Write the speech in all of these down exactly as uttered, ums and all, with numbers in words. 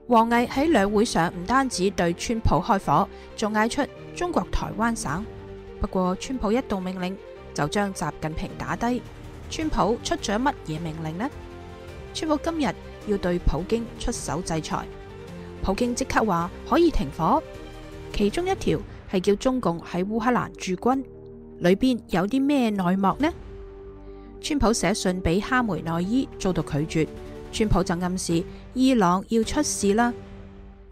王毅喺兩會上唔單止對川普開火，仲嗌出中國台灣省。不過川普一道命令就將習近平打低。川普出咗乜嘢命令呢？川普今日要對普京出手制裁，普京即刻話可以停火，其中一條係叫中共喺烏克蘭駐軍，裏邊有啲咩內幕呢？川普寫信俾哈梅內伊遭到拒絕，川普就暗示伊朗要出事啦。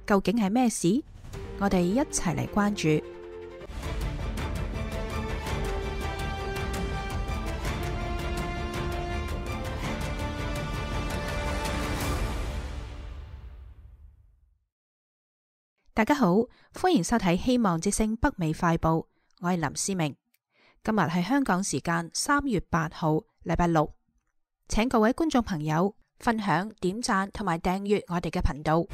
究竟係咩事？我哋一齊嚟關注。大家好，歡迎收睇希望之聲北美快報，我係林思明。今日係香港時間三月八號，禮拜六，請各位觀眾朋友分享、點讚同埋訂閱我哋嘅頻道。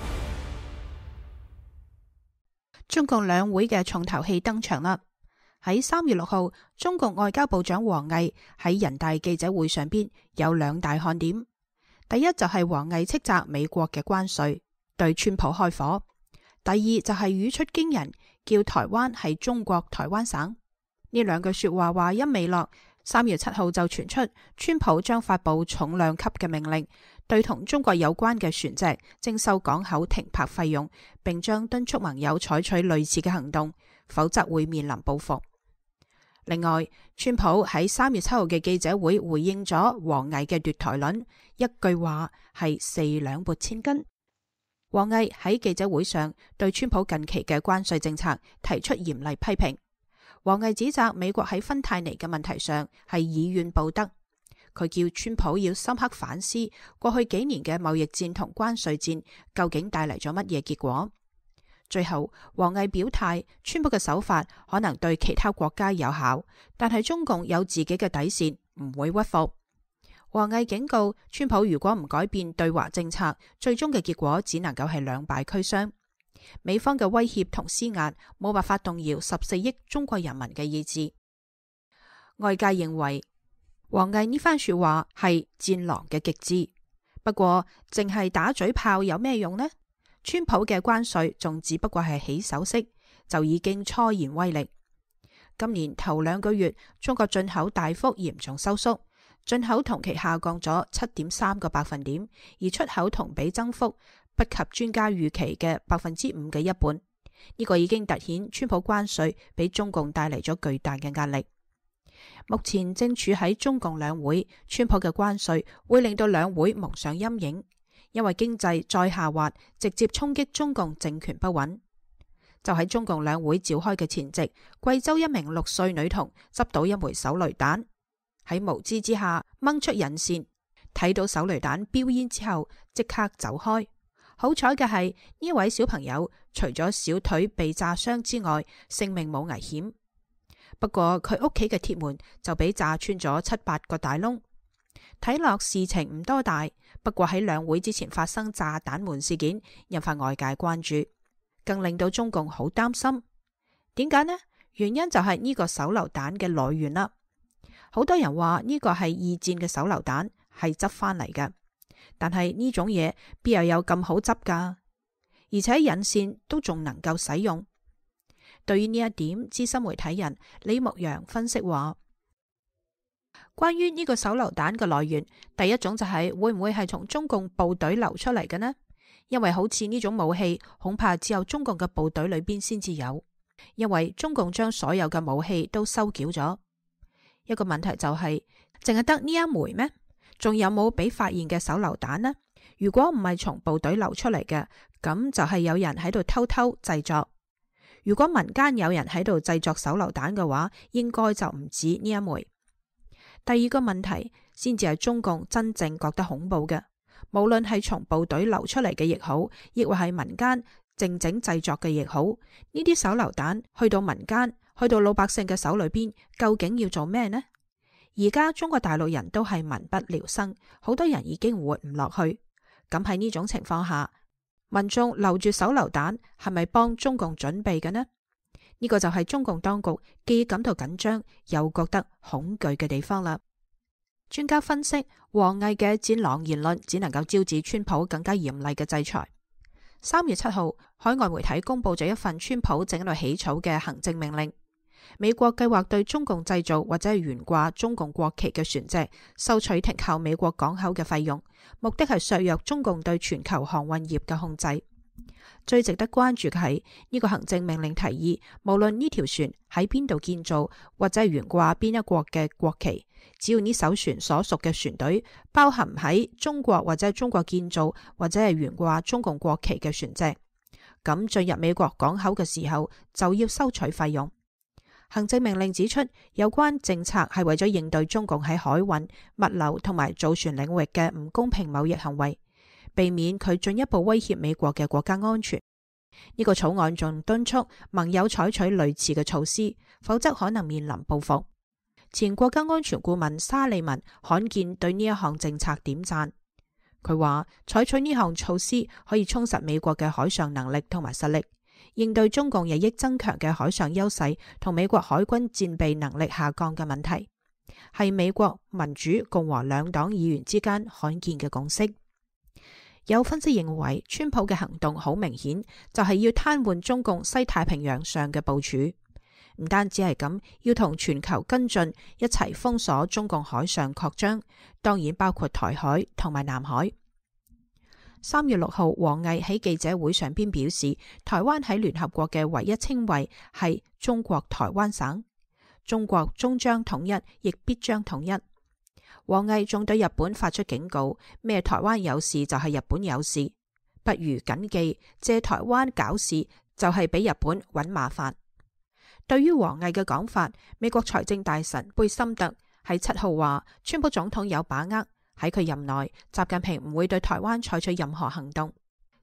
中共兩會嘅重頭戲登場啦！喺三月六號，中共外交部長王毅喺人大記者會上邊有兩大看點。第一就係王毅斥責美國嘅關稅，對川普開火。第二就係語出驚人，叫台灣係中國台灣省。呢兩句說話話音未落，三月七號就傳出川普將發佈重量級嘅命令，對同中國有關嘅船隻徵收港口停泊費用，並將敦促盟友採取類似嘅行動，否則會面臨報復。另外，川普喺三月七號嘅記者會回應咗王毅嘅奪台論，一句話係四兩撥千斤。王毅喺記者會上對川普近期嘅關稅政策提出嚴厲批評。王毅指責美國喺芬太尼嘅問題上係以怨報德，佢叫川普要深刻反思過去幾年嘅貿易戰同關稅戰究竟帶嚟咗乜嘢結果。最後，王毅表態，川普嘅手法可能對其他國家有效，但係中共有自己嘅底線，唔會屈服。王毅警告川普，如果唔改變對華政策，最終嘅結果只能夠係兩敗俱傷。美方嘅威脅同施壓冇辦法動搖十四億中國人民嘅意志。外界認為王毅呢番說話係戰狼嘅極致，不過淨係打嘴炮有咩用呢？川普嘅關稅仲只不過係起手式，就已經初現威力。今年頭兩個月，中國進口大幅嚴重收縮，進口同期下降咗七點三個百分點，而出口同比增幅不及專家預期嘅百分之五嘅一半。呢個已經凸顯川普關稅俾中共帶嚟咗巨大嘅壓力。目前正處喺中共兩會，川普嘅關稅會令到兩會蒙上陰影，因為經濟再下滑，直接衝擊中共政權不穩。就喺中共兩會召開嘅前夕，貴州一名六歲女童執到一枚手雷彈，喺無知之下掹出引線，睇到手雷彈飆煙之後即刻走開。好彩嘅係呢位小朋友除咗小腿被炸傷之外，性命冇危險。不過佢屋企嘅鐵門就俾炸穿咗七八個大窿。睇落事情唔多大，不過喺兩會之前發生炸彈門事件，引發外界關注，更令到中共好擔心。點解呢？原因就係呢個手榴彈嘅來源啦。好多人話呢個係二戰嘅手榴彈，係執翻嚟嘅。但係呢種嘢邊又有咁好執噶？而且引線都仲能夠使用。對於呢一點，資深媒體人李牧陽分析話，關於呢個手榴彈嘅來源，第一種就係會唔會係從中共部隊流出嚟嘅呢？因為好似呢種武器，恐怕只有中共嘅部隊裏邊先至有，因為中共將所有嘅武器都收繳咗。一個問題就係，淨係得呢一枚咩？仲有冇俾發現嘅手榴彈呢？如果唔係從部隊流出嚟嘅，咁就係有人喺度偷偷製作。如果民間有人喺度製作手榴彈嘅話，應該就唔止呢一枚。第二個問題先至係中共真正覺得恐怖嘅，無論係從部隊流出嚟嘅亦好，亦或係民間靜靜製作嘅亦好，呢啲手榴彈去到民間，去到老百姓嘅手裏邊，究竟要做咩呢？而家中國大陸人都係民不聊生，好多人已經活唔落去。咁喺呢種情況下，民眾留住手榴彈係咪幫中共準備嘅呢？呢個就係中共當局既感到緊張又覺得恐懼嘅地方啦。專家分析，王毅嘅戰狼言論只能夠招致川普更加嚴厲嘅制裁。三月七號，海外媒體公布咗一份川普正喺度起草嘅行政命令。美國計劃對中共製造或者係懸掛中共國旗嘅船隻收取停靠美國港口嘅費用，目的係削弱中共對全球航運業嘅控制。最值得關注嘅係呢個行政命令提議，無論呢條船喺邊度建造或者係懸掛邊一國嘅國旗，只要呢艘船所屬嘅船隊包含喺中國或者係中國建造或者係懸掛中共國旗嘅船隻，咁進入美國港口嘅時候就要收取費用。行政命令指出，有關政策係為咗應對中共喺海運、物流同埋造船領域嘅唔公平貿易行為，避免佢進一步威脅美國嘅國家安全。呢個草案仲敦促盟友採取類似嘅措施，否則可能面臨報復。前國家安全顧問沙利文罕見對呢一項政策點讚，佢話採取呢項措施可以充實美國嘅海上能力同埋實力，應對中共日益增強嘅海上優勢同美國海軍戰備能力下降嘅問題，係美國民主共和兩黨議員之間罕見嘅共識。有分析認為，川普嘅行動好明顯就係要癱瘓中共西太平洋上嘅部署，唔單止係咁，要同全球跟進一齊封鎖中共海上擴張，當然包括台海同埋南海。三月六號，王毅喺記者會上邊表示，台灣喺聯合國嘅唯一稱謂係中國台灣省，中國終將統一，亦必將統一。王毅仲對日本發出警告，咩台灣有事就係日本有事，不如謹記借台灣搞事就係俾日本搵麻煩。對於王毅嘅講法，美國財政大臣貝森特喺七號話，川普總統有把握喺佢任內，習近平唔會對台灣採取任何行動。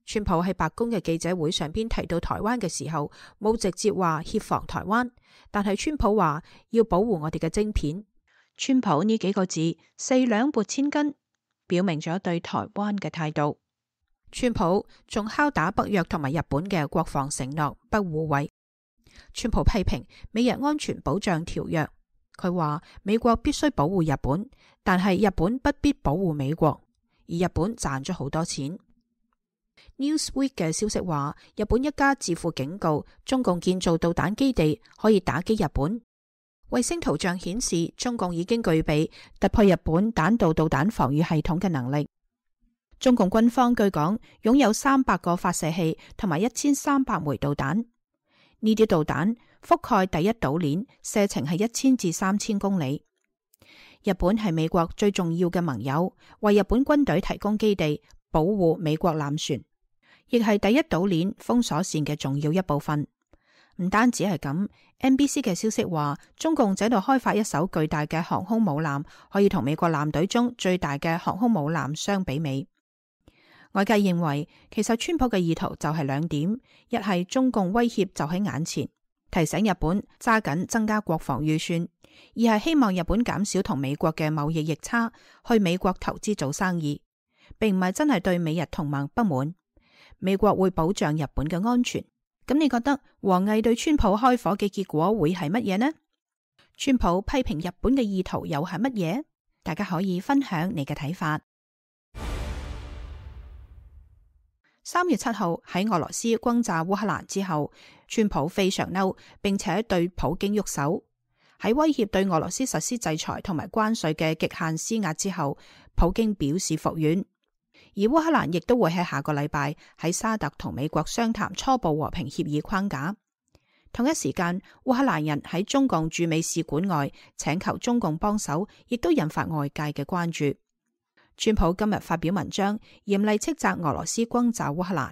川普喺白宮嘅記者會上邊提到台灣嘅時候，冇直接話協防台灣，但係川普話要保護我哋嘅晶片。川普呢幾個字四兩撥千斤，表明咗對台灣嘅態度。川普仲敲打北約同埋日本嘅國防承諾不互惠。川普批評美日安全保障條約，佢話美國必須保護日本，但係日本不必保護美國，而日本賺咗好多錢。Newsweek 嘅消息話，日本一家智庫警告，中共建造導彈基地可以打擊日本。衛星圖像顯示，中共已經具備突破日本彈道導彈防禦系統嘅能力。中共軍方據講擁有三百個發射器同埋一千三百枚導彈，呢啲導彈覆蓋第一島鏈，射程係一千至三千公里。日本係美國最重要嘅盟友，為日本軍隊提供基地，保護美國艦船，亦係第一島鏈封鎖線嘅重要一部分。唔單止係咁 ，N B C 嘅消息話，中共喺度開發一艘巨大嘅航空母艦，可以同美國艦隊中最大嘅航空母艦相比美。外界認為，其實川普嘅意圖就係兩點：一係中共威脅就喺眼前，提醒日本揸緊增加國防預算；二係希望日本減少同美國嘅貿易逆差，去美國投資做生意，並唔係真係對美日同盟不滿。美國會保障日本嘅安全。咁你覺得王毅對川普開火嘅結果會係乜嘢呢？川普批評日本嘅意圖又係乜嘢？大家可以分享你嘅睇法。三月七號喺俄羅斯轟炸烏克蘭之後，川普非常嬲，並且對普京喐手。喺威脅對俄羅斯實施制裁同埋關稅嘅極限施壓之後，普京表示服軟。而烏克蘭亦都會喺下個禮拜喺沙特同美國商談初步和平協議框架。同一時間，烏克蘭人喺中共駐美使館外請求中共幫手，亦都引發外界嘅關注。川普今日發表文章，嚴厲斥責俄羅斯轟炸烏克蘭。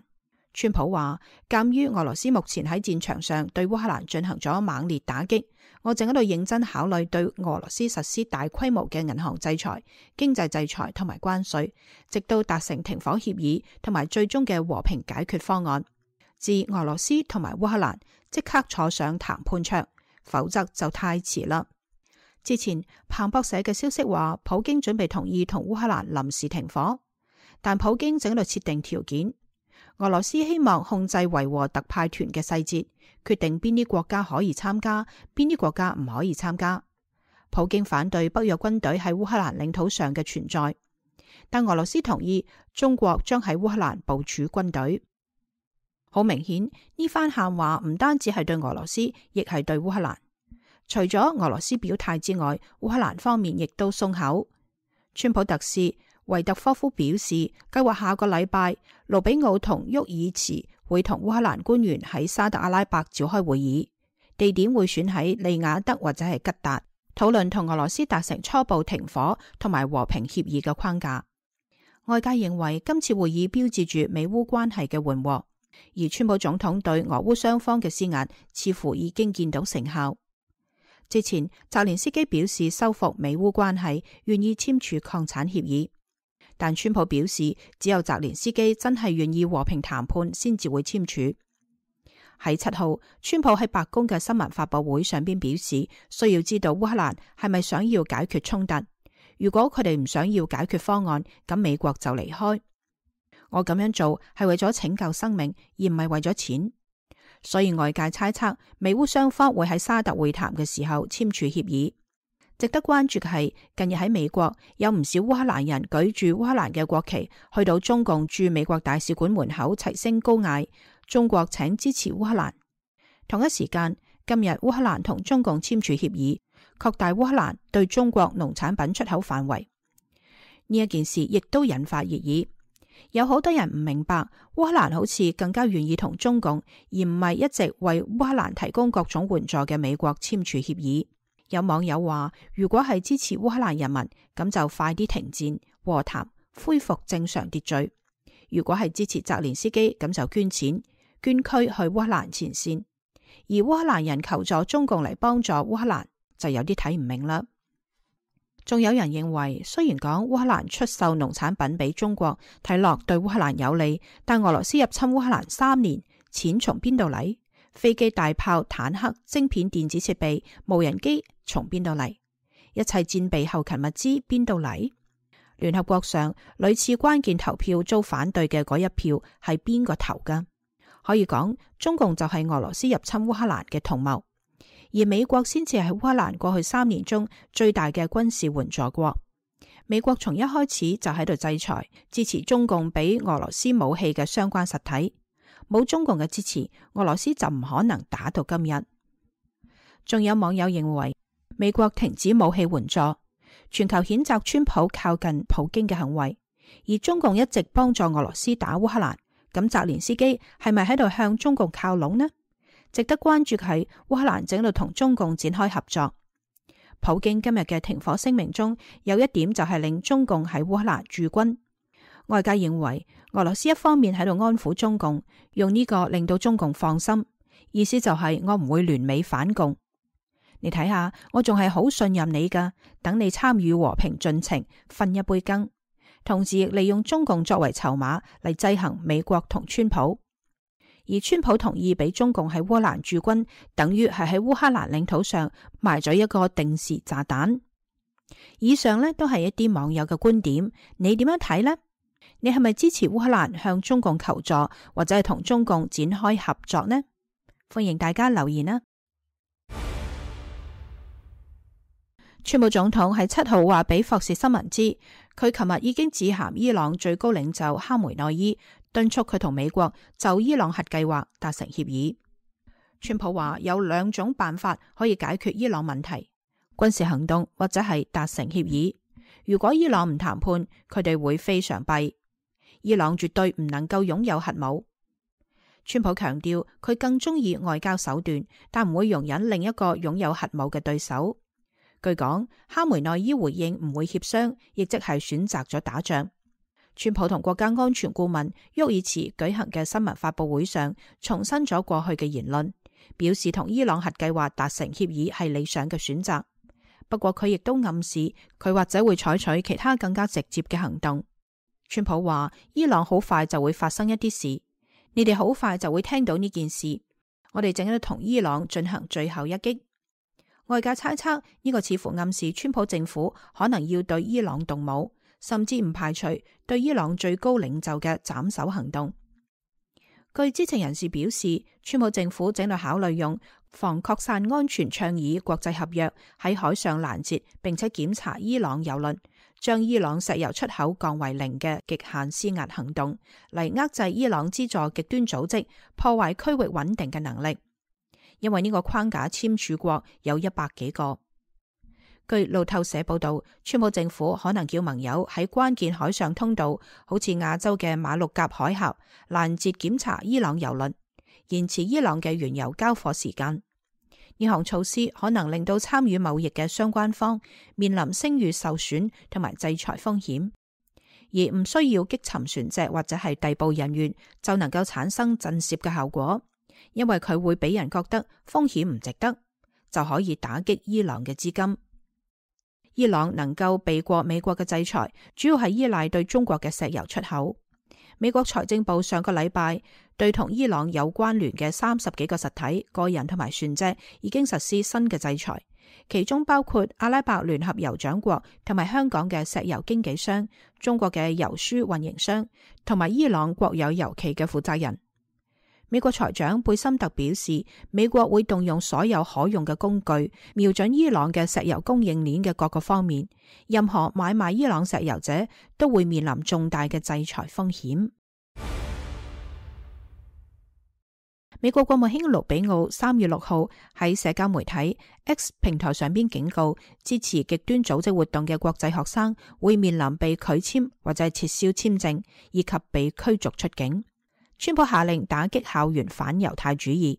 川普話，鑒於俄羅斯目前喺戰場上對烏克蘭進行咗猛烈打擊，我正喺度認真考慮對俄羅斯實施大規模嘅銀行制裁、經濟制裁同埋關稅，直到達成停火協議同埋最終嘅和平解決方案。自俄羅斯同埋烏克蘭即刻坐上談判桌，否則就太遲啦。之前彭博社嘅消息話，普京準備同意同烏克蘭臨時停火，但普京正喺度設定條件。俄羅斯希望控制維和特派團嘅細節，決定邊啲國家可以參加，邊啲國家唔可以參加。普京反對北約軍隊喺烏克蘭領土上嘅存在，但俄羅斯同意中國將喺烏克蘭部署軍隊。好明顯，呢番喊話唔單止係對俄羅斯，亦係對烏克蘭。除咗俄羅斯表態之外，烏克蘭方面亦都鬆口。川普特使維特科夫表示，計劃下個禮拜，盧比奧同沃爾茨會同烏克蘭官員喺沙特阿拉伯召開會議，地點會選喺利雅得或者係吉達，討論同俄羅斯達成初步停火同埋和平協議嘅框架。外界認為今次會議標誌住美烏關係嘅緩和，而川普總統對俄烏雙方嘅施壓似乎已經見到成效。之前澤連斯基表示修復美烏關係，願意簽署礦產協議，但川普表示只有澤連斯基真係願意和平談判先至會簽署。喺七號，川普喺白宮嘅新聞發佈會上邊表示，需要知道烏克蘭係咪想要解決衝突。如果佢哋唔想要解決方案，咁美國就離開。我咁樣做係為咗拯救生命，而唔係為咗錢。所以外界猜測美烏雙方會喺沙特會談嘅時候簽署協議。值得關注嘅係，近日喺美國有唔少烏克蘭人舉住烏克蘭嘅國旗，去到中共駐美國大使館門口齊聲高嗌：中國請支持烏克蘭。同一時間，今日烏克蘭同中共簽署協議，擴大烏克蘭對中國農產品出口範圍。呢一件事亦都引發熱議。有好多人唔明白，烏克蘭好似更加願意同中共，而唔係一直為烏克蘭提供各種援助嘅美國簽署協議。有網友話，如果係支持烏克蘭人民，咁就快啲停戰、和談、恢復正常秩序；如果係支持澤連斯基，咁就捐錢、捐軀去烏克蘭前線。而烏克蘭人求助中共嚟幫助烏克蘭，就有啲睇唔明啦。仲有人認為，雖然講烏克蘭出售農產品俾中國，睇落對烏克蘭有利，但俄羅斯入侵烏克蘭三年，錢從邊度嚟？飛機、大炮、坦克、晶片、電子設備、無人機從邊度嚟？一切戰備後勤物資邊度嚟？聯合國上屢次關鍵投票遭反對嘅嗰一票係邊個投㗎？可以講，中共就係俄羅斯入侵烏克蘭嘅同謀。而美國先至係烏克蘭過去三年中最大嘅軍事援助國。美國從一開始就喺度制裁支持中共俾俄羅斯武器嘅相關實體，冇中共嘅支持，俄羅斯就唔可能打到今日。仲有網友認為美國停止武器援助，全球譴責川普靠近普京嘅行為，而中共一直幫助俄羅斯打烏克蘭，咁澤連斯基係咪喺度向中共靠攏呢？值得關注嘅係烏克蘭正喺度同中共展開合作。普京今日嘅停火聲明中有一點就係令中共喺烏克蘭駐軍。外界認為俄羅斯一方面喺度安撫中共，用呢個令到中共放心，意思就係我唔會聯美反共。你睇下，我仲係好信任你噶，等你參與和平進程，分一杯羹。同時亦利用中共作為籌碼嚟制衡美國同川普。而川普同意俾中共喺烏克蘭駐軍，等於係喺烏克蘭領土上埋咗一個定時炸彈。以上呢都係一啲網友嘅觀點，你點樣睇呢？你係咪支持烏克蘭向中共求助，或者係同中共展開合作呢？歡迎大家留言啦！川普總統喺七號話俾霍士新聞知，佢琴日已經致函伊朗最高領袖哈梅內伊，敦促佢同美國就伊朗核計劃達成協議。川普話有兩種辦法可以解決伊朗問題：軍事行動或者係達成協議。如果伊朗唔談判，佢哋會非常弊。伊朗絕對唔能夠擁有核武。川普強調佢更中意外交手段，但唔會容忍另一個擁有核武嘅對手。據講，哈梅內伊回應唔會協商，亦即係選擇咗打仗。川普同國家安全顧問沃爾茨舉行嘅新聞發佈會上，重申咗過去嘅言論，表示同伊朗核計劃達成協議係理想嘅選擇。不過佢亦都暗示佢或者會採取其他更加直接嘅行動。川普話伊朗好快就會發生一啲事，你哋好快就會聽到呢件事。我哋正喺度同伊朗進行最後一擊。外界猜測呢個似乎暗示川普政府可能要對伊朗動武，甚至唔排除對伊朗最高領袖嘅斬首行動。據知情人士表示，川普政府正在考慮用防擴散安全倡議國際合約喺海上攔截並且檢查伊朗油輪，將伊朗石油出口降為零嘅極限施壓行動，嚟遏制伊朗資助極端組織破壞區域穩定嘅能力。因為呢個框架簽署國有一百幾個。據路透社報道，川普政府可能叫盟友喺關鍵海上通道，好似亞洲嘅馬六甲海峽，攔截檢查伊朗油輪，延遲伊朗嘅原油交貨時間。呢項措施可能令到參與貿易嘅相關方面臨聲譽受損同埋制裁風險，而唔需要擊沉船隻或者係逮捕人員就能夠產生震懾嘅效果，因為佢會俾人覺得風險唔值得，就可以打擊伊朗嘅資金。伊朗能夠避過美國嘅制裁，主要係依賴對中國嘅石油出口。美國財政部上個禮拜對同伊朗有關聯嘅三十幾個實體、個人同埋船隻已經實施新嘅制裁，其中包括阿拉伯聯合酋長國同埋香港嘅石油經紀商、中國嘅油輸運營商同埋伊朗國有油企嘅負責人。美國財長貝森特表示，美國會動用所有可用嘅工具，瞄準伊朗嘅石油供應鏈嘅各個方面。任何買賣伊朗石油者都會面臨重大嘅制裁風險。美國國務卿盧比奧三月六號喺社交媒體 X 平台上邊警告，支持極端組織活動嘅國際學生會面臨被拒簽或者撤銷簽證，以及被驅逐出境。川普下令打擊校園反猶太主義。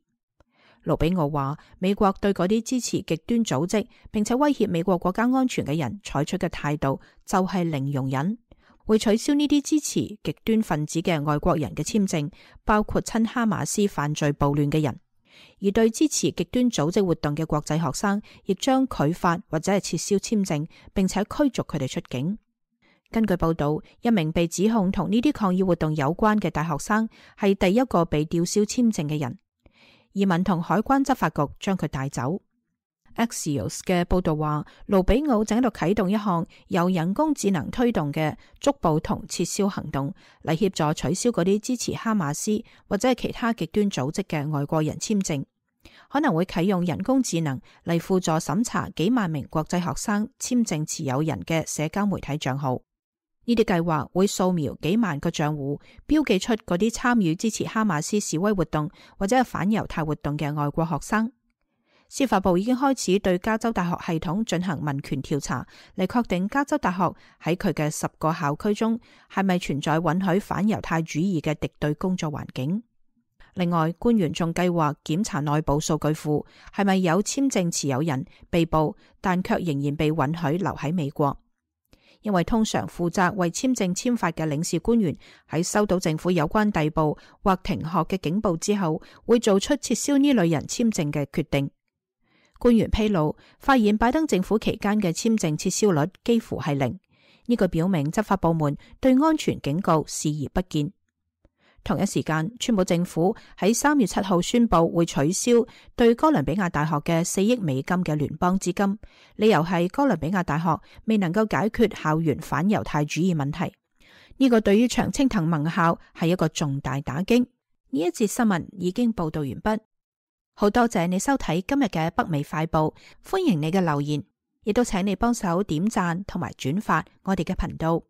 盧比奧話，美國對嗰啲支持極端組織並且威脅美國國家安全嘅人採取嘅態度就係零容忍，會取消呢啲支持極端分子嘅外國人嘅簽證，包括親哈馬斯犯罪暴亂嘅人。而對支持極端組織活動嘅國際學生，亦將拒發或者係撤銷簽證，並且驅逐佢哋出境。根據報道，一名被指控同呢啲抗議活動有關嘅大學生係第一個被吊銷簽證嘅人，移民同海關執法局將佢帶走。Axios 嘅報道話，盧比奧正喺度啟動一項由人工智能推動嘅捉捕同撤銷行動，嚟協助取消嗰啲支持哈馬斯或者係其他極端組織嘅外國人簽證，可能會啟用人工智能嚟輔助審查幾萬名國際學生簽證持有人嘅社交媒體賬號。呢啲計劃會掃描幾萬個賬戶，標記出嗰啲參與支持哈馬斯示威活動或者係反猶太活動嘅外國學生。司法部已經開始對加州大學系統進行民權調查，嚟確定加州大學喺佢嘅十個校區中係咪存在允許反猶太主義嘅敵對工作環境。另外，官員仲計劃檢查內部數據庫，係咪有簽證持有人被捕，但卻仍然被允許留喺美國。因為通常負責為簽證簽發嘅領事官員喺收到政府有關逮捕或停學嘅警報之後，會做出撤銷呢類人簽證嘅決定。官員披露，發現拜登政府期間嘅簽證撤銷率幾乎係零，呢個表明執法部門對安全警告視而不見。同一時間，川普政府喺三月七號宣布會取消對哥倫比亞大學嘅四億美金嘅聯邦資金，理由係哥倫比亞大學未能夠解決校園反猶太主義問題。呢個對於常青藤盟校係一個重大打擊。呢一節新聞已經報道完畢，好多謝你收睇今日嘅北美快報，歡迎你嘅留言，亦都請你幫手點讚同埋轉發我哋嘅頻道。